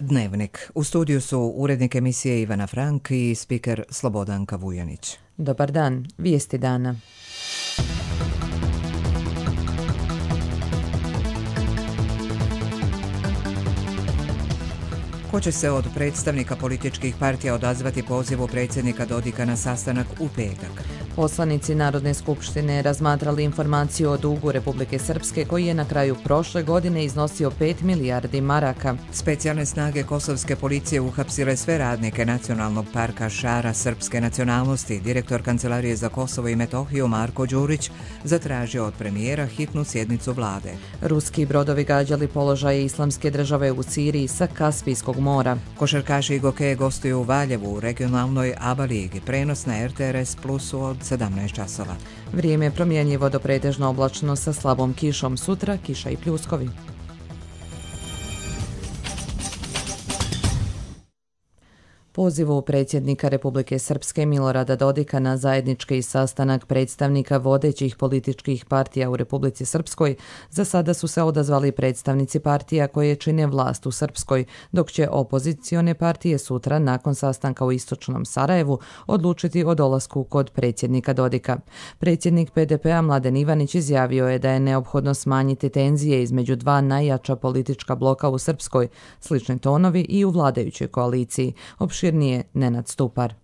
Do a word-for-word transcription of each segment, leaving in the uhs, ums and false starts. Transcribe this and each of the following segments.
Dnevnik. U studiju su urednik emisije Ivana Frank i spiker Slobodanka Vujanić. Dobar dan, vijesti dana. Ko će se od predstavnika političkih partija odazvati pozivu predsjednika Dodika na sastanak u petak? Poslanici Narodne skupštine razmatrali informaciju o dugu Republike Srpske koji je na kraju prošle godine iznosio pet milijardi maraka. Specijalne snage kosovske policije uhapsile sve radnike Nacionalnog parka Šara srpske nacionalnosti. Direktor Kancelarije za Kosovo i Metohiju Marko Đurić zatražio od premijera hitnu sjednicu vlade. Ruski brodovi gađali položaje Islamske države u Siriji sa Kaspijskog mora. Košarkaši i gokeje gostuju u Valjevu u regionalnoj ABA ligi. Prenos na R T R S Plusu od sedamnaest časova. Vrijeme je promjenjivo do pretežno oblačno sa slabom kišom. Sutra kiša i pljuskovi. Pozivu predsjednika Republike Srpske Milorada Dodika na zajednički sastanak predstavnika vodećih političkih partija u Republici Srpskoj za sada su se odazvali predstavnici partija koje čine vlast u Srpskoj, dok će opozicione partije sutra nakon sastanka u istočnom Sarajevu odlučiti o dolasku kod predsjednika Dodika. Predsjednik P D P-a Mladen Ivanić izjavio je da je neophodno smanjiti tenzije između dva najjača politička bloka u Srpskoj, slični tonovi i u vladajućoj koaliciji. Opširnije Nenad Stupar.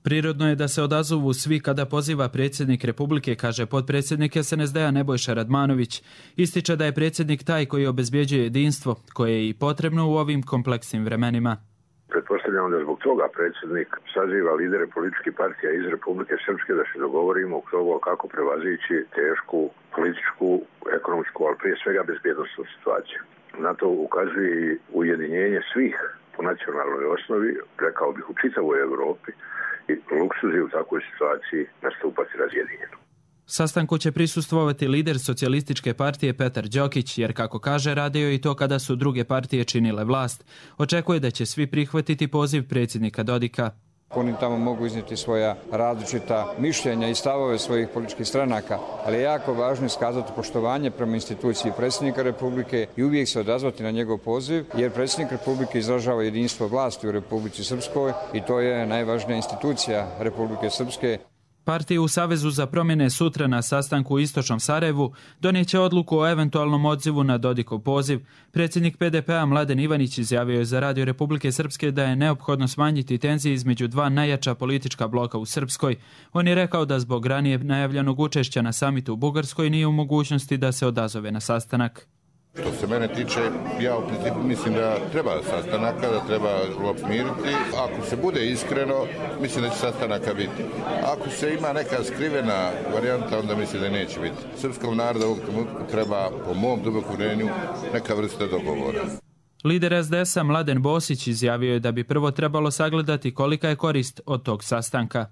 Prirodno je da se odazovu svi kada poziva predsjednik Republike, kaže potpredsjednik S N S D-a Nebojša Radmanović. Ističe da je predsjednik taj koji obezbjeđuje jedinstvo, koje je i potrebno u ovim kompleksnim vremenima. Pretpostavljamo da zbog toga predsjednik saziva lidere političkih partija iz Republike Srpske da se dogovorimo oko toga kako prevazići tešku političku, ekonomsku, ali prije svega bezbjednosnu situaciju. Na to ukazuje i ujedinjenje svih po nacionalnoj osnovi, rekao bih u čitavoj Europi, i luksuz je u takvoj situaciji nastupati razjedinjeno. Sastanku će prisustvovati lider socijalističke partije Petar Đokić, jer kako kaže radio i to kada su druge partije činile vlast. Očekuje da će svi prihvatiti poziv predsjednika Dodika. Oni tamo mogu iznijeti svoja različita mišljenja i stavove svojih političkih stranaka, ali je jako važno iskazati poštovanje prema instituciji predsjednika Republike i uvijek se odazvati na njegov poziv, jer predsjednik Republike izražava jedinstvo vlasti u Republici Srpskoj i to je najvažnija institucija Republike Srpske. Partije u Savezu za promjene sutra na sastanku u istočnom Sarajevu donijeće odluku o eventualnom odzivu na Dodikov poziv. Predsjednik P D P-a Mladen Ivanić izjavio je za Radio Republike Srpske da je neophodno smanjiti tenzije između dva najjača politička bloka u Srpskoj. On je rekao da zbog ranije najavljenog učešća na samitu u Bugarskoj nije u mogućnosti da se odazove na sastanak. Što se mene tiče, ja u principu mislim da treba sastanaka, da treba smiriti. Ako se bude iskreno, mislim da će sastanaka biti. Ako se ima neka skrivena varijanta, onda mislim da neće biti. Srpskom narodu ovog trenutka treba, po mom dubokom uvjerenju, neka vrsta dogovora. Lider S D S-a Mladen Bosić izjavio je da bi prvo trebalo sagledati kolika je korist od tog sastanka.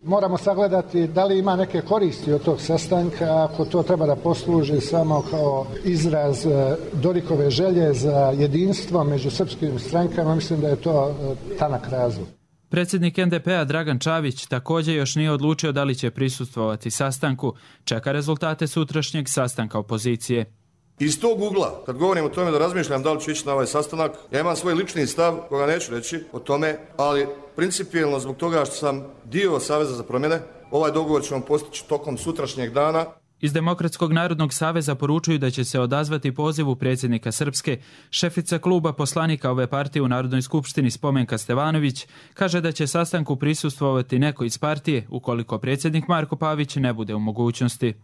Moramo sagledati da li ima neke koristi od tog sastanka, ako to treba da posluži samo kao izraz Dodikove želje za jedinstvo među srpskim strankama, mislim da je to tanak razlog. Predsjednik N D P-a Dragan Čavić također još nije odlučio da li će prisustvovati sastanku, čeka rezultate sutrašnjeg sastanka opozicije. Iz tog ugla, kad govorim o tome da razmišljam da li ću ići na ovaj sastanak, ja imam svoj lični stav, koga neću reći o tome, ali principijelno zbog toga što sam dio Saveza za promjene, ovaj dogovor ćemo postići tokom sutrašnjeg dana. Iz Demokratskog narodnog saveza poručuju da će se odazvati pozivu predsjednika Srpske. Šefica kluba poslanika ove partije u Narodnoj skupštini Spomenka Stevanović kaže da će sastanku prisustvovati neko iz partije ukoliko predsjednik Marko Pavić ne bude u mogućnosti.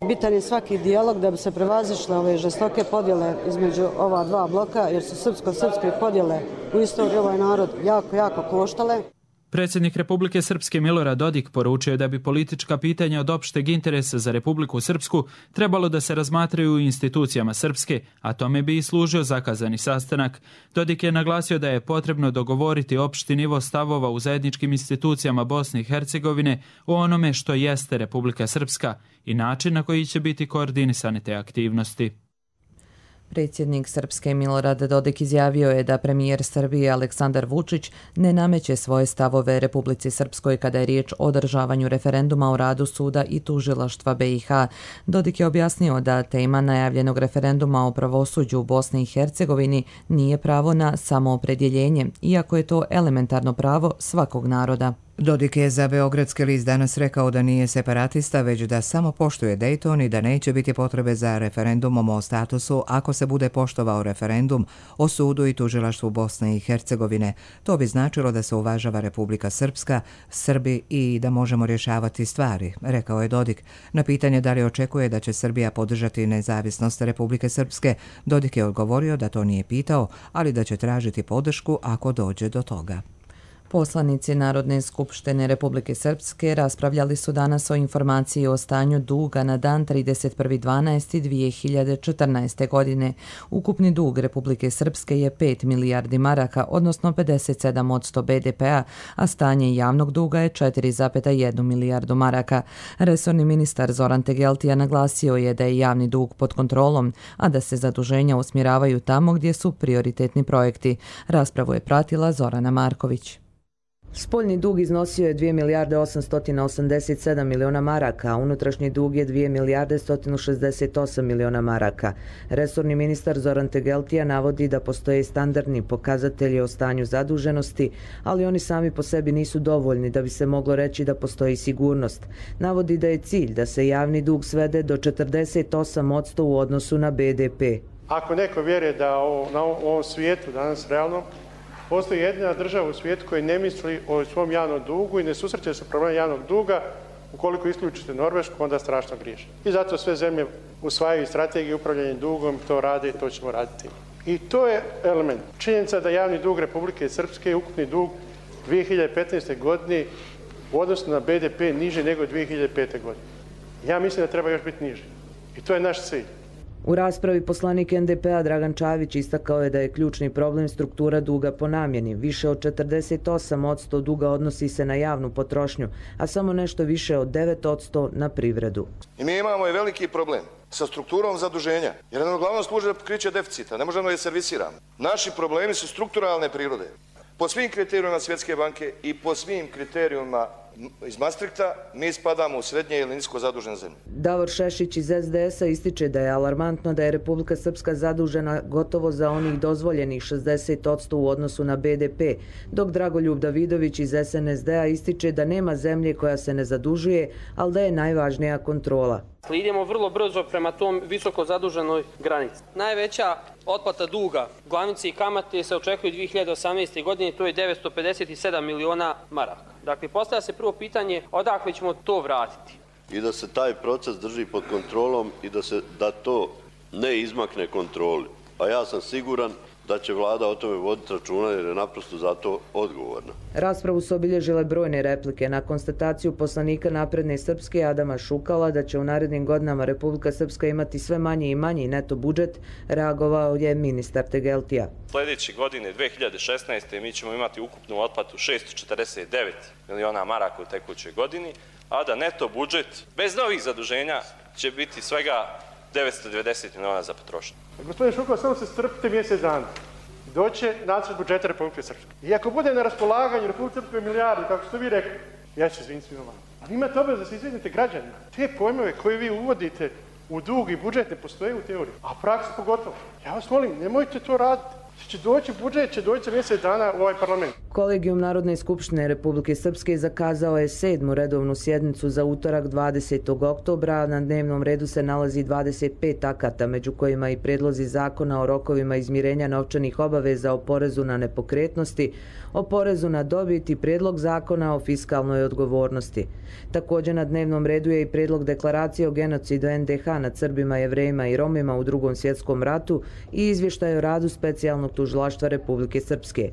Bitan je svaki dijalog da bi se prevazišle ove žestoke podjele između ova dva bloka, jer su srpsko-srpske podjele u istoriji ovaj narod jako, jako koštale. Predsjednik Republike Srpske Milorad Dodik poručio da bi politička pitanja od opšteg interesa za Republiku Srpsku trebalo da se razmatraju u institucijama Srpske, a tome bi i služio zakazani sastanak. Dodik je naglasio da je potrebno dogovoriti opšti nivo stavova u zajedničkim institucijama Bosne i Hercegovine o onome što jeste Republika Srpska i način na koji će biti koordinisane te aktivnosti. Predsjednik Srpske Milorad Dodik izjavio je da premijer Srbije Aleksandar Vučić ne nameće svoje stavove Republici Srpskoj kada je riječ o održavanju referenduma o radu suda i tužilaštva B i H. Dodik je objasnio da tema najavljenog referenduma o pravosuđu u Bosni i Hercegovini nije pravo na samoopredjeljenje, iako je to elementarno pravo svakog naroda. Dodik je za Beogradski list danas rekao da nije separatista, već da samo poštuje Dayton i da neće biti potrebe za referendumom o statusu ako se bude poštovao referendum o sudu i tužilaštvu Bosne i Hercegovine. To bi značilo da se uvažava Republika Srpska, Srbi i da možemo rješavati stvari, rekao je Dodik. Na pitanje da li očekuje da će Srbija podržati nezavisnost Republike Srpske, Dodik je odgovorio da to nije pitao, ali da će tražiti podršku ako dođe do toga. Poslanici Narodne skupštine Republike Srpske raspravljali su danas o informaciji o stanju duga na dan trideset prvi decembar dvije hiljade četrnaeste. godine. Ukupni dug Republike Srpske je pet milijardi maraka, odnosno pedeset sedam posto B D P-a, a stanje javnog duga je četiri zarez jedna milijardu maraka. Resorni ministar Zoran Tegeltija naglasio je da je javni dug pod kontrolom, a da se zaduženja usmjeravaju tamo gdje su prioritetni projekti. Raspravu je pratila Zorana Marković. Spoljni dug iznosio je dvije milijarde osamsto osamdeset sedam miliona maraka, a unutrašnji dug je dvije milijarde sto šezdeset osam miliona maraka. Resorni ministar Zoran Tegeltija navodi da postoje standardni pokazatelji o stanju zaduženosti, ali oni sami po sebi nisu dovoljni da bi se moglo reći da postoji sigurnost. Navodi da je cilj da se javni dug svede do četrdeset osam posto u odnosu na B D P. Ako neko vjeruje da o, na ovom svijetu danas realno postoji jedina država u svijetu koja ne misli o svom javnom dugu i ne susreće se problem javnog duga, ukoliko isključite Norvešku, onda strašno griješi. I zato sve zemlje usvajaju strategiju upravljanja dugom, to rade i to ćemo raditi. I to je element. Činjenica da javni dug Republike Srpske, ukupni dug dvije hiljade petnaeste. godine u odnosu na B D P niži nego dvije hiljade pete. godine. Ja mislim da treba još biti niži. I to je naš cilj. U raspravi poslanik N D P-a Dragan Čavić istakao je da je ključni problem struktura duga po namjeni. Više od četrdeset osam posto duga odnosi se na javnu potrošnju, a samo nešto više od devet posto na privredu. I mi imamo i veliki problem sa strukturom zaduženja, jer ono uglavnom služi za pokriće deficita, ne možemo je servisirati. Naši problemi su strukturalne prirode. Po svim kriterijima Svjetske banke i po svim kriterijima iz Maastrichta mi spadamo u srednje ili nisko zadužene zemlje. Davor Šešić iz S D S-a ističe da je alarmantno da je Republika Srpska zadužena gotovo za onih dozvoljenih šezdeset posto u odnosu na B D P, dok Dragoljub Davidović iz S N S D-a ističe da nema zemlje koja se ne zadužuje, ali da je najvažnija kontrola. Idemo vrlo brzo prema tom visoko zaduženoj granici. Najveća otplata duga, glavnice i kamate se očekuje dvije hiljade osamnaeste. godine, to je devetsto pedeset sedam miliona maraka. Dakle, postavlja se prvo pitanje odakle ćemo to vratiti. I da se taj proces drži pod kontrolom i da, se, da to ne izmakne kontroli. A ja sam siguran da će vlada o tome voditi računa jer je naprosto za to odgovorna. Raspravu su obilježile brojne replike na konstataciju poslanika Napredne Srpske Adama Šukala da će u narednim godinama Republika Srpska imati sve manji i manji neto budžet, reagovao je ministar Tegeltija. Sljedeće godine, dvije hiljade šesnaeste. mi ćemo imati ukupnu otplatu šesto četrdeset devet miliona maraka u tekućoj godini, a da neto budžet bez novih zaduženja će biti svega devetsto devedeset miliona za potrošnju. Gospodine Šukal, samo se strpite mjesec dana. Doće nacrt budžeta Republike Srpske. I ako bude na raspolaganju Republike Srpske milijardu, kako ste vi rekli, ja ću se izviniti svima vama. Ali imate obavez da se izvinite građanima. Te pojmove koje vi uvodite u dug i budžet ne postoje u teoriji, a praksi pogotovo. Ja vas molim, nemojte to raditi. Će doći budžet, će doći mjesec dana u ovaj parlament. Kolegijum Narodne skupštine Republike Srpske zakazao je sedmu redovnu sjednicu za utorak dvadesetog oktobra. Na dnevnom redu se nalazi dvadeset pet akata, među kojima i predlozi zakona o rokovima izmirenja novčanih obaveza o porezu na nepokretnosti, o porezu na dobit i predlog zakona o fiskalnoj odgovornosti. Također na dnevnom redu je i predlog deklaracije o genocidu N D H nad Srbima, Jevrejima i Romima u Drugom svjetskom ratu i izvještaj o radu specijalnog tužilaštva Republike Srpske.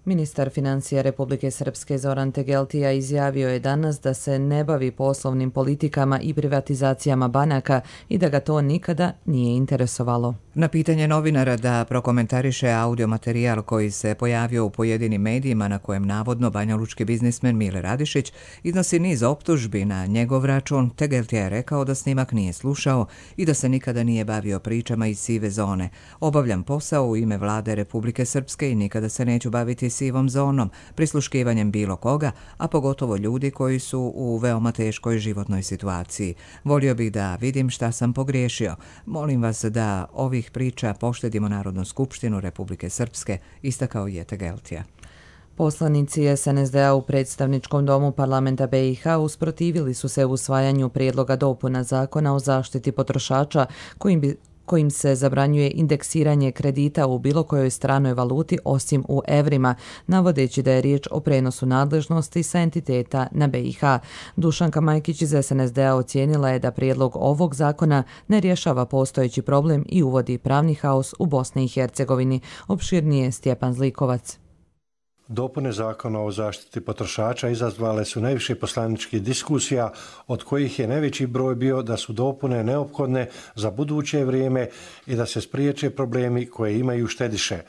Ministar financija Republike Srpske Zoran Tegeltija izjavio je danas da se ne bavi poslovnim politikama i privatizacijama banaka i da ga to nikada nije interesovalo. Na pitanje novinara da prokomentariše audio materijal koji se pojavio u pojedinim medijima na kojem navodno banjalučki biznismen Mile Radišić iznosi niz optužbi na njegov račun, Tegeltija je rekao da snimak nije slušao i da se nikada nije bavio pričama iz sive zone. Obavljam posao u ime vlade Republike Srpske i nikada se neću baviti sivom zonom, prisluškivanjem bilo koga, a pogotovo ljudi koji su u veoma teškoj životnoj situaciji. Volio bih da vidim šta sam pogriješio. Molim vas da ovih priča poštedimo Narodnu skupštinu Republike Srpske, istakao je Tegeltija. Poslanici es en es de a u predstavničkom domu parlamenta be i ha usprotivili su se usvajanju prijedloga dopuna zakona o zaštiti potrošača kojim bi kojim se zabranjuje indeksiranje kredita u bilo kojoj stranoj valuti osim u evrima, navodeći da je riječ o prenosu nadležnosti sa entiteta na be i ha. Dušanka Majkić iz es en es de a ocijenila je da prijedlog ovog zakona ne rješava postojeći problem i uvodi pravni haos u Bosni i Hercegovini. Opširnije Stjepan Zlikovac. Dopune zakona o zaštiti potrošača izazvale su najviše poslaničkih diskusija, od kojih je najveći broj bio da su dopune neophodne za buduće vrijeme i da se spriječe problemi koje imaju štediše.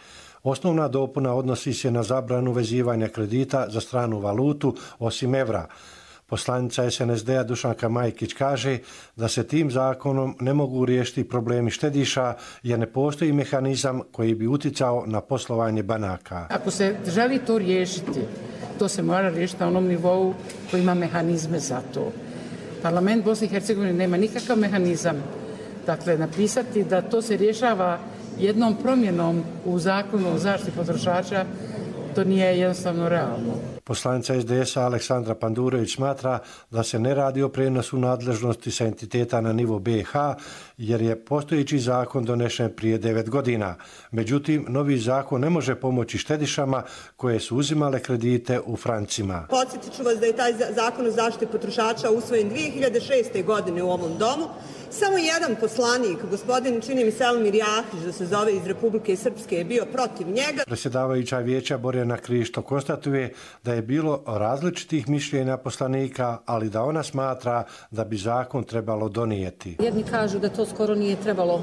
Osnovna dopuna odnosi se na zabranu vezivanja kredita za stranu valutu osim evra. Poslanica es en es de a Dušanka Majkić kaže da se tim zakonom ne mogu riješiti problemi štediša jer ne postoji mehanizam koji bi uticao na poslovanje banaka. Ako se želi to riješiti, to se mora riješiti na onom nivou koji ima mehanizme za to. Parlament Bosne i Hercegovine nema nikakav mehanizam. Dakle, napisati da to se rješava jednom promjenom u zakonu o zaštiti potrošača, to nije jednostavno realno. Poslanica es de es a Aleksandra Pandurović smatra da se ne radi o prenosu nadležnosti sa entiteta na nivo be i ha, jer je postojeći zakon donešen prije devet godina. Međutim, novi zakon ne može pomoći štedišama koje su uzimale kredite u francima. Podsjetit ću vas da je taj zakon o zaštiti potrošača usvojen dvije hiljade šeste. godine u ovom domu. Samo jedan poslanik, gospodin čini mi se Elmir Jahić, da se zove, iz Republike Srpske, je bio protiv njega. Predsjedavajuća vijeća Borjana Krišto konstatuje da je bilo različitih mišljenja poslanika, ali da ona smatra da bi zakon trebalo donijeti. Jedni kažu da to skoro nije trebalo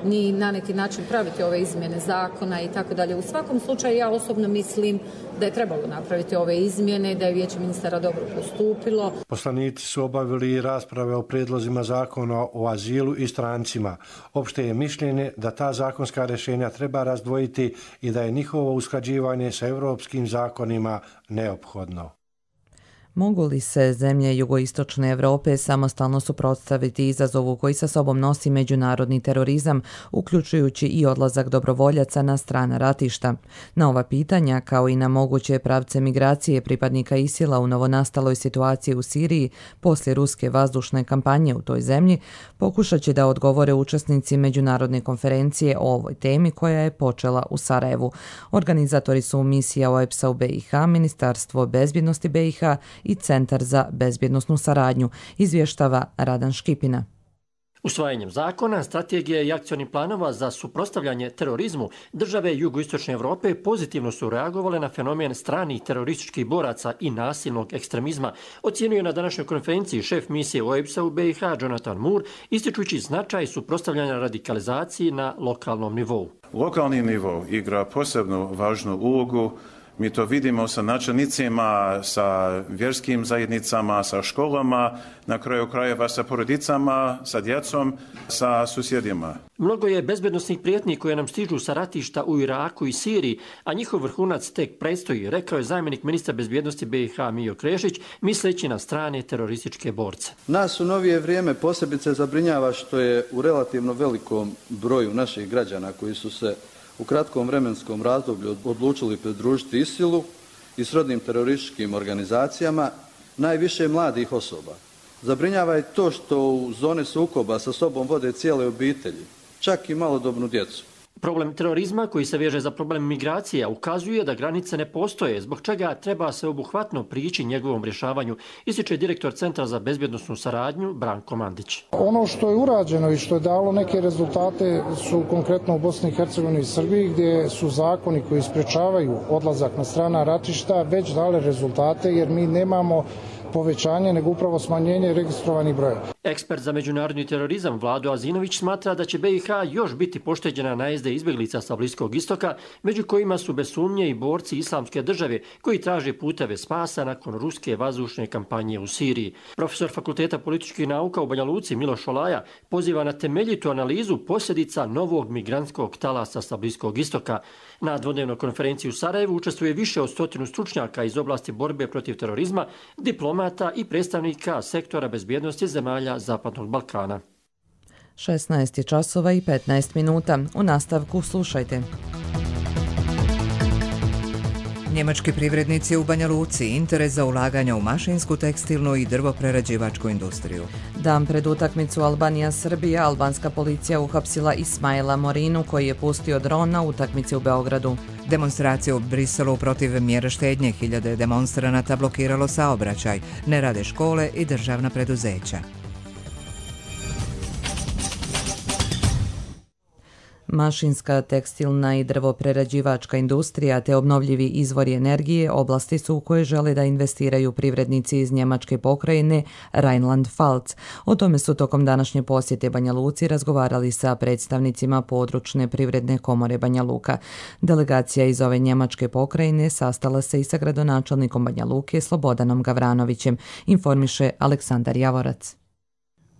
ni na neki način praviti ove izmjene zakona i tako dalje. U svakom slučaju ja osobno mislim da je trebalo napraviti ove izmjene, da je vijeće ministara dobro postupilo. Poslanici su obavili rasprave o prijedlozima zakona o azilu i strancima. Opšte je mišljenje da ta zakonska rješenja treba razdvojiti i da je njihovo usklađivanje sa europskim zakonima neophodno. Mogu li se zemlje jugoistočne Europe samostalno suprotstaviti izazovu koji sa sobom nosi međunarodni terorizam, uključujući i odlazak dobrovoljaca na strana ratišta? Na ova pitanja, kao i na moguće pravce migracije pripadnika ISIL-a u novonastaloj situaciji u Siriji poslije ruske vazdušne kampanje u toj zemlji, pokušat će da odgovore učesnici međunarodne konferencije o ovoj temi koja je počela u Sarajevu. Organizatori su misija o e pe es a u be i ha, Ministarstvo bezbjednosti be i ha i Centar za bezbjednosnu saradnju, izvještava Radan Škipina. Usvajanjem zakona, strategije i akcionih planova za suprotstavljanje terorizmu, države jugoistočne Europe pozitivno su reagovale na fenomen stranih terorističkih boraca i nasilnog ekstremizma, ocjenjuje na današnjoj konferenciji šef misije o e pe es a u be i ha Jonathan Moore, ističući značaj suprotstavljanja radikalizaciji na lokalnom nivou. Lokalni nivo igra posebno važnu ulogu. Mi to vidimo sa načelnicima, sa vjerskim zajednicama, sa školama, na kraju krajeva sa porodicama, sa djecom, sa susjedima. Mnogo je bezbednosnih prijetnji koje nam stižu sa ratišta u Iraku i Siriji, a njihov vrhunac tek predstoji, rekao je zamjenik ministra bezbjednosti be i ha Mijo Krešić, misleći na strane terorističke borce. Nas u novije vrijeme posebice zabrinjava što je u relativno velikom broju naših građana koji su se u kratkom vremenskom razdoblju odlučili pridružiti ISIL-u i srodnim terorističkim organizacijama, najviše mladih osoba. Zabrinjava je to što u zone sukoba sa sobom vode cijele obitelji, čak i malodobnu djecu. Problem terorizma koji se veže za problem migracija ukazuje da granice ne postoje, zbog čega treba se obuhvatno prići njegovom rješavanju, ističe direktor Centra za bezbjednosnu saradnju Branko Mandić. Ono što je urađeno i što je dalo neke rezultate su konkretno u Bosni i Hercegovini i Srbiji, gdje su zakoni koji sprečavaju odlazak na strana ratišta već dale rezultate, jer mi nemamo povećanje, nego upravo smanjenje registrovanih broja. Ekspert za međunarodni terorizam Vlado Azinović smatra da će B i H još biti pošteđena najezde izbjeglica sa Bliskog istoka, među kojima su bez sumnje i borci islamske države koji traže puteve spasa nakon ruske vazdušne kampanje u Siriji. Profesor Fakulteta političkih nauka u Banja Luci Miloš Olaja poziva na temeljitu analizu posljedica novog migrantskog talasa sa Bliskog istoka. Na dvodnevnoj konferenciji u Sarajevu učestvuje više od stotinu stručnjaka iz oblasti borbe protiv terorizma, diplomata i predstavnika sektora bezbjednosti zemalja Zapadnog Balkana. šesnaest časova i petnaest minuta. U nastavku slušajte. Njemački privrednici u Banja Luci interes za ulaganja u mašinsku, tekstilnu i drvoprerađivačku industriju. Dan pred utakmicu Albanija-Srbija, albanska policija uhapsila Ismaila Morinu koji je pustio dron na utakmici u Beogradu. Demonstracije u Briselu protiv mjera štednje, hiljade demonstranata blokiralo saobraćaj, ne rade škole i državna preduzeća. Mašinska, tekstilna i drvoprerađivačka industrija te obnovljivi izvori energije oblasti su u koje žele da investiraju privrednici iz njemačke pokrajine Rheinland-Pfalz. O tome su tokom današnje posjete Banja Luci razgovarali sa predstavnicima područne privredne komore Banja Luka. Delegacija iz ove njemačke pokrajine sastala se i sa gradonačelnikom Banja Luke Slobodanom Gavranovićem, informiše Aleksandar Javorac.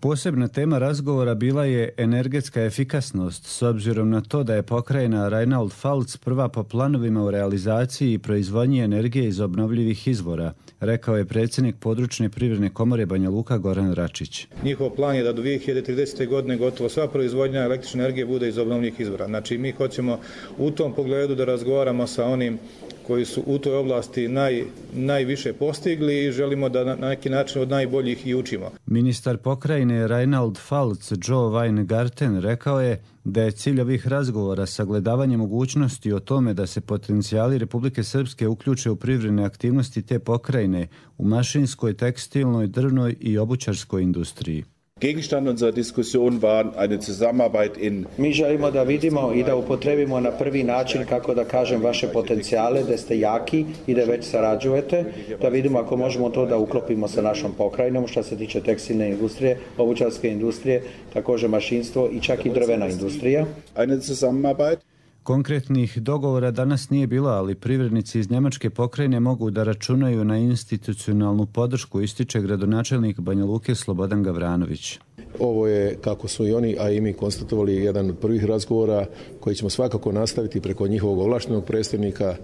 Posebna tema razgovora bila je energetska efikasnost, s obzirom na to da je pokrajina Rheinland-Pfalz prva po planovima u realizaciji i proizvodnji energije iz obnovljivih izvora, rekao je predsjednik područne privredne komore Banja Luka Goran Račić. Njihov plan je da do dvije hiljade tridesete. godine gotovo sva proizvodnja električne energije bude iz obnovljivih izvora. Znači mi hoćemo u tom pogledu da razgovaramo sa onim koji su u toj oblasti naj, najviše postigli i želimo da na neki način od najboljih i učimo. Ministar pokrajine Rheinland-Pfalz Joe Weingarten rekao je da je cilj ovih razgovora sagledavanje mogućnosti o tome da se potencijali Republike Srpske uključe u privredne aktivnosti te pokrajine u mašinskoj, tekstilnoj, drvnoj i obućarskoj industriji. Gegenstand unserer Diskussion war eine Zusammenarbeit in... Mi želimo da vidimo i da upotrebimo na prvi način, kako da kažem, vaše potencijale, da ste jaki i da već sarađujete, da vidimo ako možemo to da uklopimo sa našom pokrajinom što se tiče tekstilne industrije, obućarske industrije, također mašinstvo i čak i drvena industrija. Eine Zusammenarbeit. Konkretnih dogovora danas nije bilo, ali privrednici iz njemačke pokrajine mogu da računaju na institucionalnu podršku, ističe gradonačelnik Banja Luke Slobodan Gavranović. Ovo je, kako su i oni, a i mi konstatovali, jedan od prvih razgovora koji ćemo svakako nastaviti preko njihovog ovlaštenog predstavnika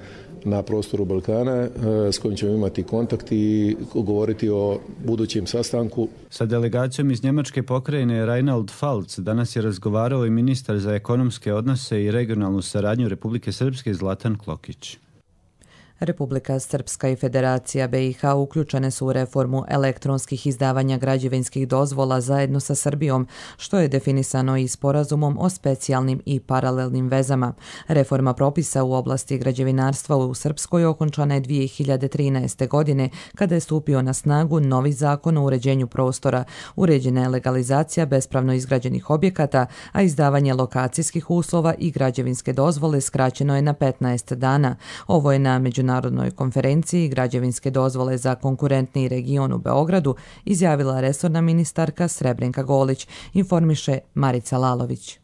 na prostoru Balkana, s kojim ćemo imati kontakt i govoriti o budućem sastanku. Sa delegacijom iz njemačke pokrajine Rheinland-Pfalz danas je razgovarao i ministar za ekonomske odnose i regionalnu saradnju Republike Srpske Zlatan Klokić. Republika Srpska i Federacija B i H uključene su u reformu elektronskih izdavanja građevinskih dozvola zajedno sa Srbijom, što je definisano i sporazumom o specijalnim i paralelnim vezama. Reforma propisa u oblasti građevinarstva u Srpskoj okončana je dvije hiljade trinaeste. godine, kada je stupio na snagu novi zakon o uređenju prostora. Uređena je legalizacija bespravno izgrađenih objekata, a izdavanje lokacijskih uslova i građevinske dozvole skraćeno je na petnaest dana. Ovo je na međunarodnoj Narodnoj konferenciji građevinske dozvole za konkurentni region u Beogradu izjavila resorna ministarka Srebrenka Golić, informiše Marica Lalović.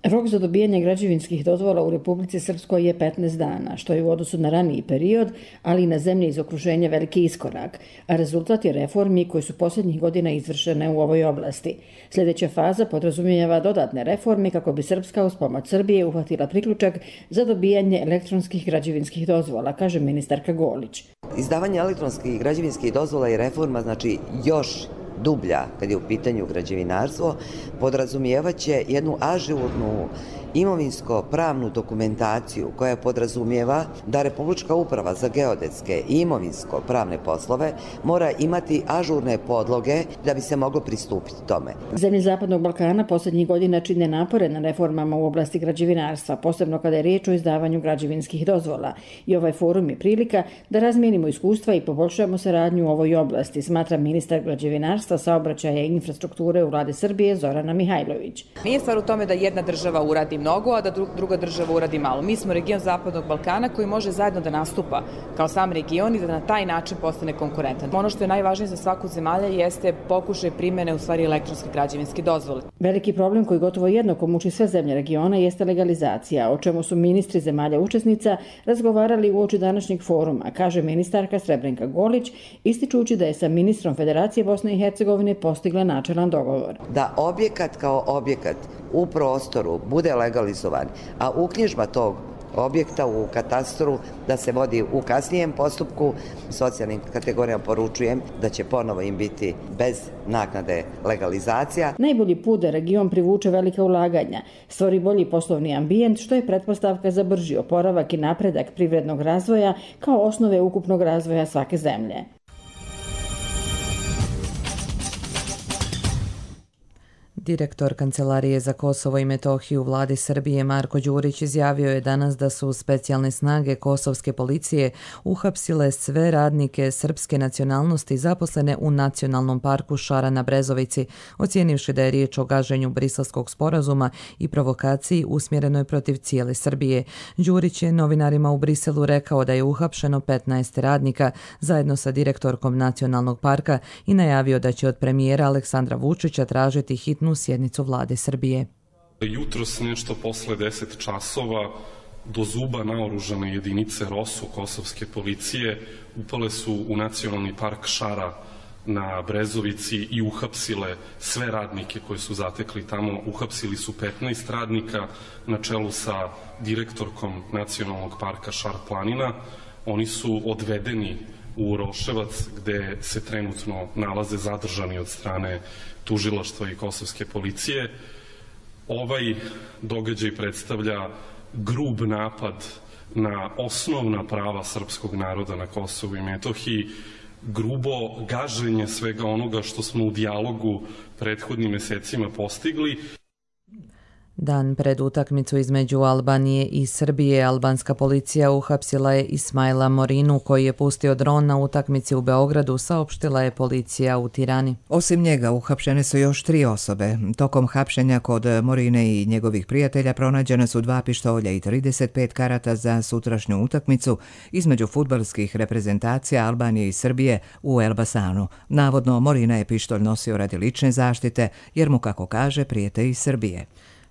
Rok za dobijanje građevinskih dozvola u Republici Srpskoj je petnaest dana, što je u odnosu na raniji period, ali i na zemlje iz okruženja veliki iskorak, a rezultat je reformi koje su posljednjih godina izvršene u ovoj oblasti. Sljedeća faza podrazumijeva dodatne reforme kako bi Srpska uz pomoć Srbije uhvatila priključak za dobijanje elektronskih građevinskih dozvola, kaže ministarka Golić. Izdavanje elektronskih građevinskih dozvola i reforma znači još dublja kad je u pitanju građevinarstvo, podrazumijevaće jednu ažurnu imovinsko-pravnu dokumentaciju koja podrazumijeva da Republička uprava za geodetske i imovinsko-pravne poslove mora imati ažurne podloge da bi se moglo pristupiti tome. Zemlje Zapadnog Balkana posljednjih godina čine napore na reformama u oblasti građevinarstva, posebno kada je riječ o izdavanju građevinskih dozvola. I ovaj forum je prilika da razmijenimo iskustva i poboljšamo saradnju u ovoj oblasti, smatra ministar građevinarstva, saobraćaja i infrastrukture u vladi Srbije Zorana Mihajlović. Nije stvar u tome da jedna država uradi mnogo, a da druga država uradi malo. Mi smo region Zapadnog Balkana koji može zajedno da nastupa kao sam region i da na taj način postane konkurentan. Ono što je najvažnije za svaku zemalja jeste pokušaj primjene u stvari elektronske građevinske dozvole. Veliki problem koji gotovo jednako muči sve zemlje regiona jeste legalizacija, o čemu su ministri zemalja učesnica razgovarali uoči današnjeg foruma, kaže ministarka Srebrenka Golić, ističući da je sa ministrom Federacije Bosne i Hercegovine postigla načelan dogovor. Da objekat kao objekat u prostoru bude legalizovan, a uknjižba tog objekta u katastru da se vodi u kasnijem postupku, socijalnim kategorijama poručujem da će ponovo im biti bez naknade legalizacija. Najbolji put da region privuče velika ulaganja, stvori bolji poslovni ambijent, što je pretpostavka za brži oporavak i napredak privrednog razvoja kao osnove ukupnog razvoja svake zemlje. Direktor Kancelarije za Kosovo i Metohiju u vladi Srbije Marko Đurić izjavio je danas da su specijalne snage kosovske policije uhapsile sve radnike srpske nacionalnosti zaposlene u Nacionalnom parku Šara na Brezovici, ocijenivši da je riječ o gaženju Briselskog sporazuma i provokaciji usmjerenoj protiv cijele Srbije. Đurić je novinarima u Briselu rekao da je uhapšeno petnaest radnika zajedno sa direktorkom Nacionalnog parka i najavio da će od premijera Aleksandra Vučića tražiti hitnu sjednicu vlade Srbije. Jutros nešto posle deset časova do zuba naoružane jedinice ROSU kosovske policije upale su u Nacionalni park Šara na Brezovici i uhapsile sve radnike koje su zatekli tamo. Uhapsili su petnaest radnika na čelu sa direktorkom Nacionalnog parka Šar planina. Oni su odvedeni u Roševac gde se trenutno nalaze zadržani od strane tužilaštva i kosovske policije. Ovaj događaj predstavlja grub napad na osnovna prava srpskog naroda na Kosovu i Metohiji, grubo gaženje svega onoga što smo u dijalogu prethodnim mesecima postigli. Dan pred utakmicu između Albanije i Srbije, albanska policija uhapsila je Ismaila Morinu koji je pustio dron na utakmici u Beogradu, saopštila je policija u Tirani. Osim njega uhapšene su još tri osobe. Tokom hapšenja kod Morine i njegovih prijatelja pronađena su dva pištolja i trideset pet karata za sutrašnju utakmicu između fudbalskih reprezentacija Albanije i Srbije u Elbasanu. Navodno, Morina je pištolj nosio radi lične zaštite jer mu, kako kaže, prijete iz Srbije.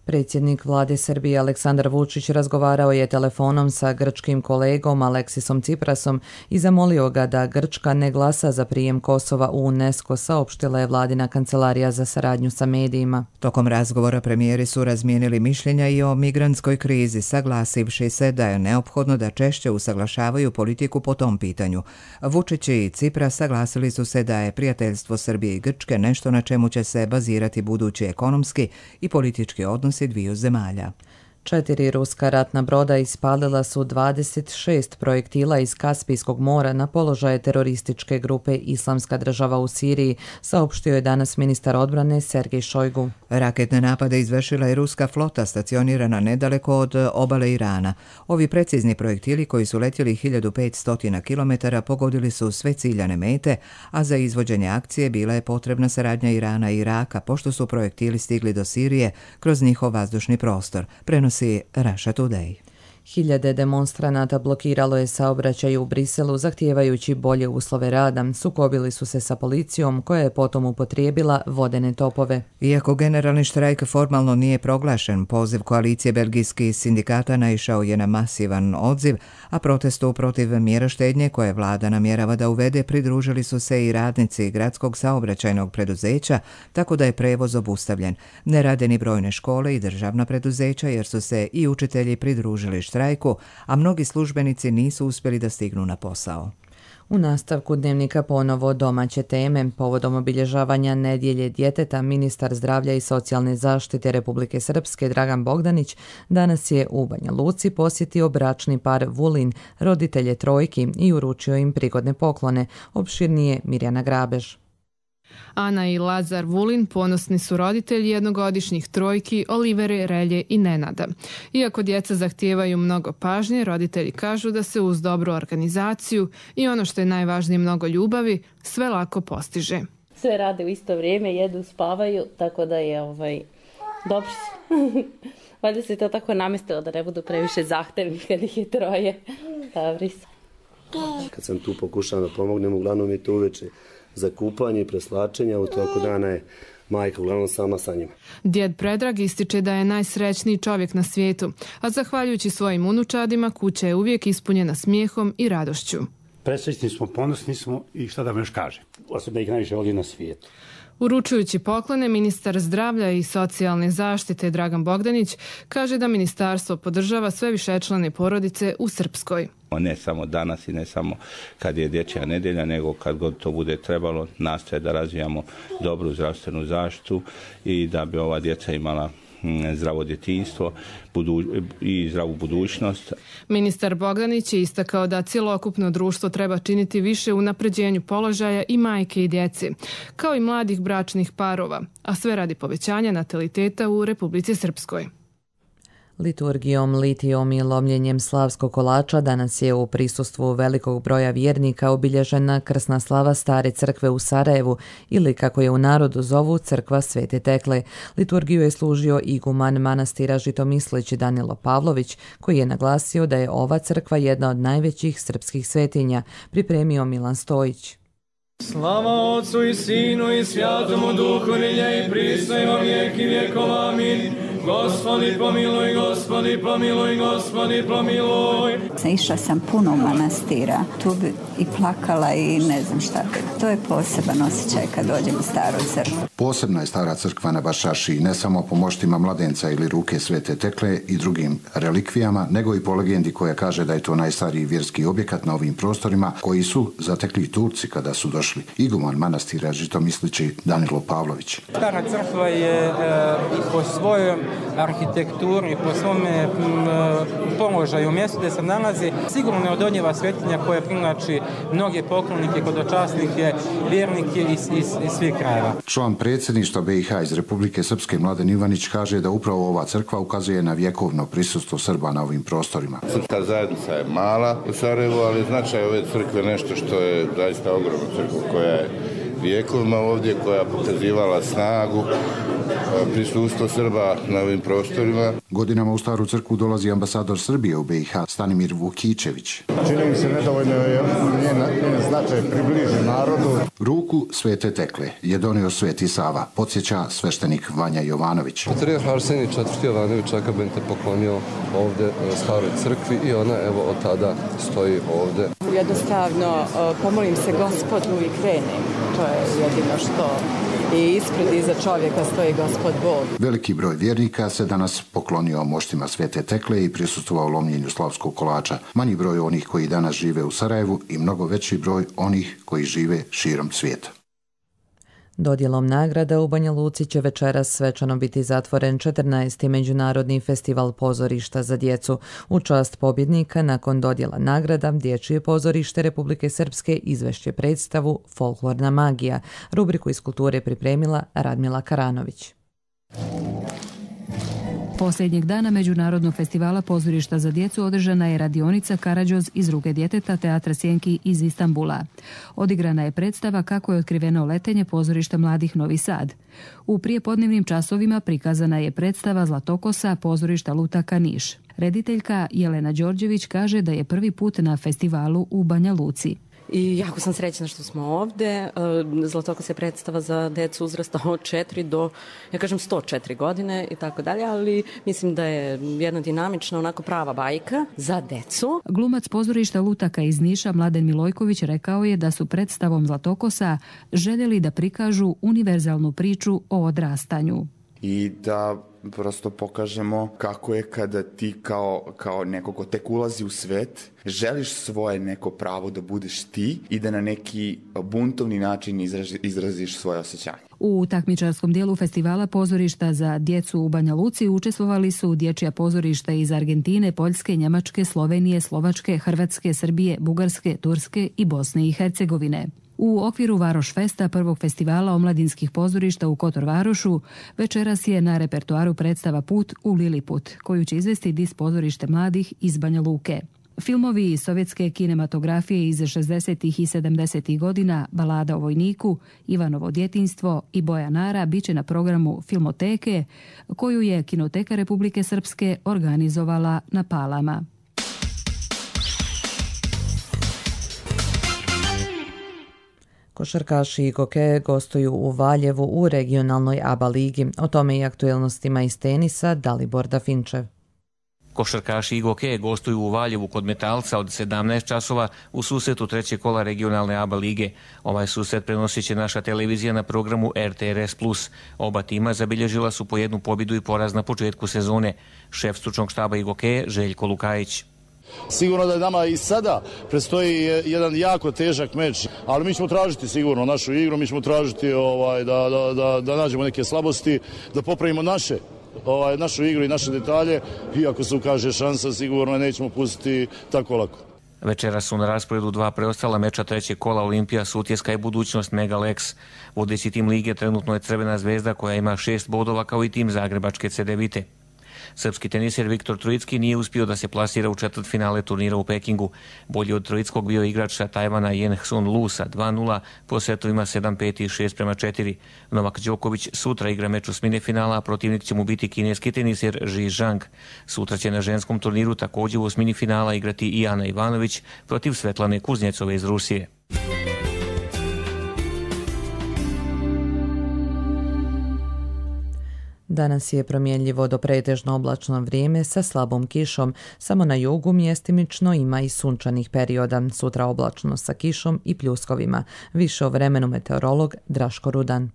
Predsjednik vlade Srbije Aleksandar Vučić razgovarao je telefonom sa grčkim kolegom Aleksisom Ciprasom i zamolio ga da Grčka ne glasa za prijem Kosova u UNESCO, saopštila je vladina kancelarija za saradnju sa medijima. Tokom razgovora premijeri su razmijenili mišljenja i o migrantskoj krizi, saglasivši se da je neophodno da češće usaglašavaju politiku po tom pitanju. Vučić i Cipras saglasili su se da je prijateljstvo Srbije i Grčke nešto na čemu će se bazirati budući ekonomski i politički odnos dviju zemalja. Četiri ruska ratna broda ispalila su dvadeset šest projektila iz Kaspijskog mora na položaje terorističke grupe Islamska država u Siriji, saopštio je danas ministar odbrane Sergej Šojgu. Raketne napade izvršila je ruska flota stacionirana nedaleko od obale Irana. Ovi precizni projektili koji su letjeli hiljadu petsto kilometara pogodili su sve ciljane mete, a za izvođenje akcije bila je potrebna saradnja Irana i Iraka, pošto su projektili stigli do Sirije kroz njihov vazdušni prostor, prenosi Russia Today. Hiljade demonstranata blokiralo je saobraćaj u Briselu zahtijevajući bolje uslove rada. Sukobili su se sa policijom koja je potom upotrijebila vodene topove. Iako generalni štrajk formalno nije proglašen, poziv koalicije belgijskih sindikata naišao je na masivan odziv, a protestu protiv mjera štednje koje vlada namjerava da uvede pridružili su se i radnici gradskog saobraćajnog preduzeća, tako da je prevoz obustavljen. Ne rade ni brojne škole i državna preduzeća jer su se i učitelji pridružili štrajku, a mnogi službenici nisu uspjeli da stignu na posao. U nastavku dnevnika ponovo domaće teme. Povodom obilježavanja nedjelje djeteta, ministar zdravlja i socijalne zaštite Republike Srpske Dragan Bogdanić danas je u Banja Luci posjetio bračni par Vulin, roditelje trojki, i uručio im prigodne poklone. Opširnije Mirjana Grabež. Ana i Lazar Vulin ponosni su roditelji jednogodišnjih trojki Olivere, Relje i Nenada. Iako djeca zahtijevaju mnogo pažnje, roditelji kažu da se uz dobru organizaciju i ono što je najvažnije mnogo ljubavi, sve lako postiže. Sve rade u isto vrijeme, jedu, spavaju, tako da je ovaj, dobro su. Valjda se to tako namestilo da ne budu previše zahtevni kad ih je troje. Dobri su. Kad sam tu pokušao da pomognem, uglavnom je to uveče za kupanje i preslačenja, u toku dana je majka uglavnom sama sa njima. Djed Predrag ističe da je najsrećniji čovjek na svijetu, a zahvaljujući svojim unučadima kuća je uvijek ispunjena smijehom i radošću. Presrećni smo, ponosni smo i šta da vam još kažem. Osim da ih najviše voli na svijetu. Uručujući poklone, ministar zdravlja i socijalne zaštite Dragan Bogdanić kaže da ministarstvo podržava sve višečlane porodice u Srpskoj. Ne samo danas i ne samo kad je dječja nedjelja, nego kad god to bude trebalo, nastoje da razvijamo dobru zdravstvenu zaštitu i da bi ova djeca imala zdravo djetinjstvo i zdravu budućnost. Ministar Bogdanić je istakao da cjelokupno društvo treba činiti više u unapređenju položaja i majke i djece, kao i mladih bračnih parova, a sve radi povećanja nataliteta u Republici Srpskoj. Liturgijom, litijom i lomljenjem slavskog kolača danas je u prisustvu velikog broja vjernika obilježena krsna slava Stare crkve u Sarajevu, ili kako je u narodu zovu crkva Svete Tekle. Liturgiju je služio iguman manastira Žitomislić Danilo Pavlović, koji je naglasio da je ova crkva jedna od najvećih srpskih svetinja, pripremio Milan Stojić. Slava Otcu i Sinu i Svjatomu Duhu, nilje i prisno i во vijeki vjekova. Amin. Gospodi pomiluj, Gospodi pomiluj, Gospodi pomiluj. Išla sam puno u manastira, tu bi i plakala i ne znam šta. To je poseban osjećaj kad dođem u Staru crkvu. Posebna je Stara crkva na Bašaši, ne samo po moštima mladenca ili ruke Svete Tekle i drugim relikvijama, nego i po legendi koja kaže da je to najstariji vjerski objekat na ovim prostorima koji su zatekli Turci kada su došli. Iguman manastira Žitomislići Danilo Pavlović. Stara crkva je e, po svojoj arhitekturi, po svome položaju, mjestu gdje se nalazi, sigurno neodoljiva svetinja koja privlači mnoge poklonike, hodočasnike, vjernike iz, iz, iz svih krajeva. Član predsjedništva B i H iz Republike Srpske Mladen Ivanić kaže da upravo ova crkva ukazuje na vjekovno prisustvo Srba na ovim prostorima. Srpska zajednica je mala u Sarajevu, ali značaj ove crkve nešto što je zaista ogromna crkva koja je vijekovima ovdje, koja pokazivala snagu, prisustvo Srba na ovim prostorima. Godinama u Staru crkvu dolazi ambasador Srbije u B i H Stanimir Vukićević. Čini mi se nedovoljno je njen, njen značaj približi narodu. Ruku Svete Tekle je donio Sveti Sava, podsjeća sveštenik Vanja Jovanović. Patrijarh Arsenij četvrti Jovanović Akabente poklonio ovdje Staroj crkvi i ona evo od tada stoji ovdje. Jednostavno pomolim se Gospodu i krenem. To je jedino što i ispred iza čovjeka stoji Gospod Bog. Veliki broj vjernika se danas poklonio moštima Svete Tekle i prisustvovao lomljenju slavskog kolača. Manji broj onih koji danas žive u Sarajevu i mnogo veći broj onih koji žive širom svijeta. Dodjelom nagrada u Banja Luci će večeras svečano biti zatvoren četrnaesti Međunarodni festival pozorišta za djecu. U čast pobjednika nakon dodjela nagrada Dječje pozorište Republike Srpske izvešće predstavu Folklorna magija. Rubriku iz kulture pripremila Radmila Karanović. Posljednjeg dana Međunarodnog festivala pozorišta za djecu održana je radionica Karađoz iz ruke djeteta Teatra Sjenki iz Istanbula. Odigrana je predstava Kako je otkriveno letenje pozorišta mladih Novi Sad. U prijepodnevnim časovima prikazana je predstava Zlatokosa pozorišta Lutaka Niš. Rediteljka Jelena Đorđević kaže da je prvi put na festivalu u Banja Luci. I jako sam srećna što smo ovdje. Zlatokos je predstava za decu uzrasta od četiri do, ja kažem, sto četiri godine i tako dalje, ali mislim da je jedna dinamična, onako prava bajka za decu. Glumac pozorišta Lutaka iz Niša Mladen Milojković rekao je da su predstavom Zlatokosa željeli da prikažu univerzalnu priču o odrastanju. i da prosto pokažemo kako je kada ti kao, kao neko ko tek ulazi u svet, želiš svoje neko pravo da budeš ti i da na neki buntovni način izraži, izraziš svoje osjećanje. U takmičarskom dijelu festivala pozorišta za djecu u Banja Luci učestvovali su dječja pozorišta iz Argentine, Poljske, Njemačke, Slovenije, Slovačke, Hrvatske, Srbije, Bugarske, Turske i Bosne i Hercegovine. U okviru Varoš Festa, prvog festivala omladinskih pozorišta u Kotor Varošu, večeras je na repertoaru predstava Put u Liliput, koju će izvesti Dis pozorište mladih iz Banja Luke. Filmovi iz sovjetske kinematografije iz šezdesetih i sedamdesetih godina, Balada o vojniku, Ivanovo djetinjstvo i Boja Nara bit će na programu Filmoteke, koju je Kinoteka Republike Srpske organizovala na Palama. Košarkaši Igoke gostuju u Valjevu u regionalnoj A B A ligi. O tome i aktuelnostima iz tenisa Dalibor Dafinčev. Košarkaši Igoke gostuju u Valjevu kod Metalca od sedamnaest časova u susretu trećeg kola regionalne A B A lige. Ovaj susret prenosit će naša televizija na programu R T R S plus. Oba tima zabilježila su po jednu pobjedu i poraz na početku sezone. Šef stručnog štaba Igoke Željko Lukajić. Sigurno da je nama i sada predstoji jedan jako težak meč, ali mi ćemo tražiti sigurno našu igru, mi ćemo tražiti ovaj, da, da, da, da nađemo neke slabosti, da popravimo naše, ovaj, našu igru i naše detalje i ako se ukaže šansa sigurno nećemo pustiti tako lako. Večera su na rasporedu dva preostala meča trećeg kola Olimpija, Sutjeska i budućnost Megalex. Vodeći tim lige trenutno je Crvena zvezda koja ima šest bodova kao i tim Zagrebačke Cedevite. Srpski teniser Viktor Trojicki nije uspio da se plasira u četvrtfinale turnira u Pekingu. Bolji od Trojickog bio igrač sa Tajvana Jen Hsun Lu sa dva nula po setovima sedam pet i šest prema četiri. Novak Đoković sutra igra meč osmine finala, a protivnik će mu biti kineski teniser Ji Zhang. Sutra će na ženskom turniru također u osmini finala igrati i Ana Ivanović protiv Svetlane Kuznjecove iz Rusije. Danas je promjenljivo do pretežno oblačno vrijeme sa slabom kišom. Samo na jugu mjestimično ima i sunčanih perioda. Sutra oblačno sa kišom i pljuskovima. Više o vremenu meteorolog Draško Rudan.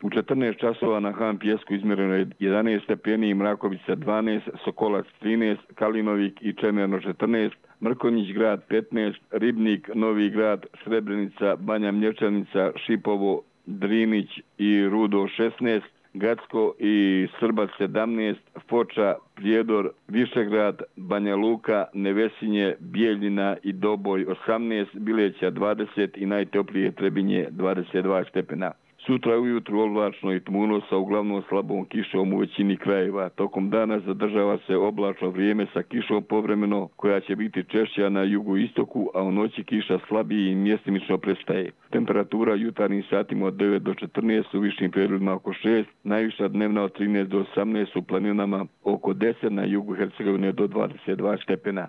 U četrnaest časova na Han Pjesku izmjereno je jedanaest stepeni, Mrakovica dvanaest, Sokolac trinaest, Kalinovik i Čemerno četrnaest, Mrkonjić grad petnaest, Ribnik, Novi grad, Srebrenica, Banja Mlječanica, Šipovo, Drinić i Rudo šesnaest, Gacko i Srbac sedamnaest, Foča, Prijedor, Višegrad, Banja Luka, Nevesinje, Bijeljina i Doboj osamnaest, Bileća dvadeset i najtoplije Trebinje dvadeset dva stepena. Sutra ujutru oblačno i tmuno sa uglavnom slabom kišom u većini krajeva. Tokom dana zadržava se oblačno vrijeme sa kišom povremeno koja će biti češća na jugoistoku, a u noći kiša slabiji i mjestimično prestaje. Temperatura jutarnjim satima od devet do četrnaest, u višim periodima oko šest, najviša dnevna od trinaest do osamnaest, u planinama oko deset, na jugu Hercegovine do dvadeset dva stepena.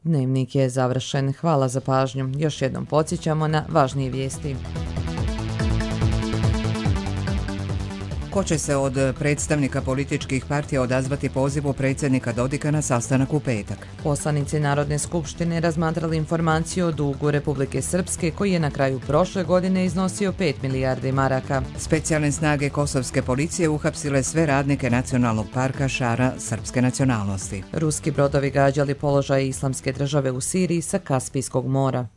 Dnevnik je završen. Hvala za pažnju. Još jednom podsjećamo na važnije vijesti. Ko će se od predstavnika političkih partija odazvati pozivu predsjednika Dodika na sastanak u petak? Poslanici Narodne skupštine razmatrali informaciju o dugu Republike Srpske koji je na kraju prošle godine iznosio pet milijardi maraka. Specijalne snage kosovske policije uhapsile sve radnike Nacionalnog parka Šara srpske nacionalnosti. Ruski brodovi gađali položaje Islamske države u Siriji sa Kaspijskog mora.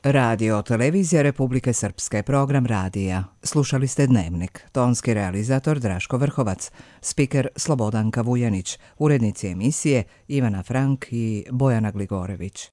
Radio televizija Republike Srpske, program radija. Slušali ste Dnevnik. Tonski realizator Draško Vrhovac, spiker Slobodanka Vujanić, urednici emisije Ivana Frank i Bojana Gligorević.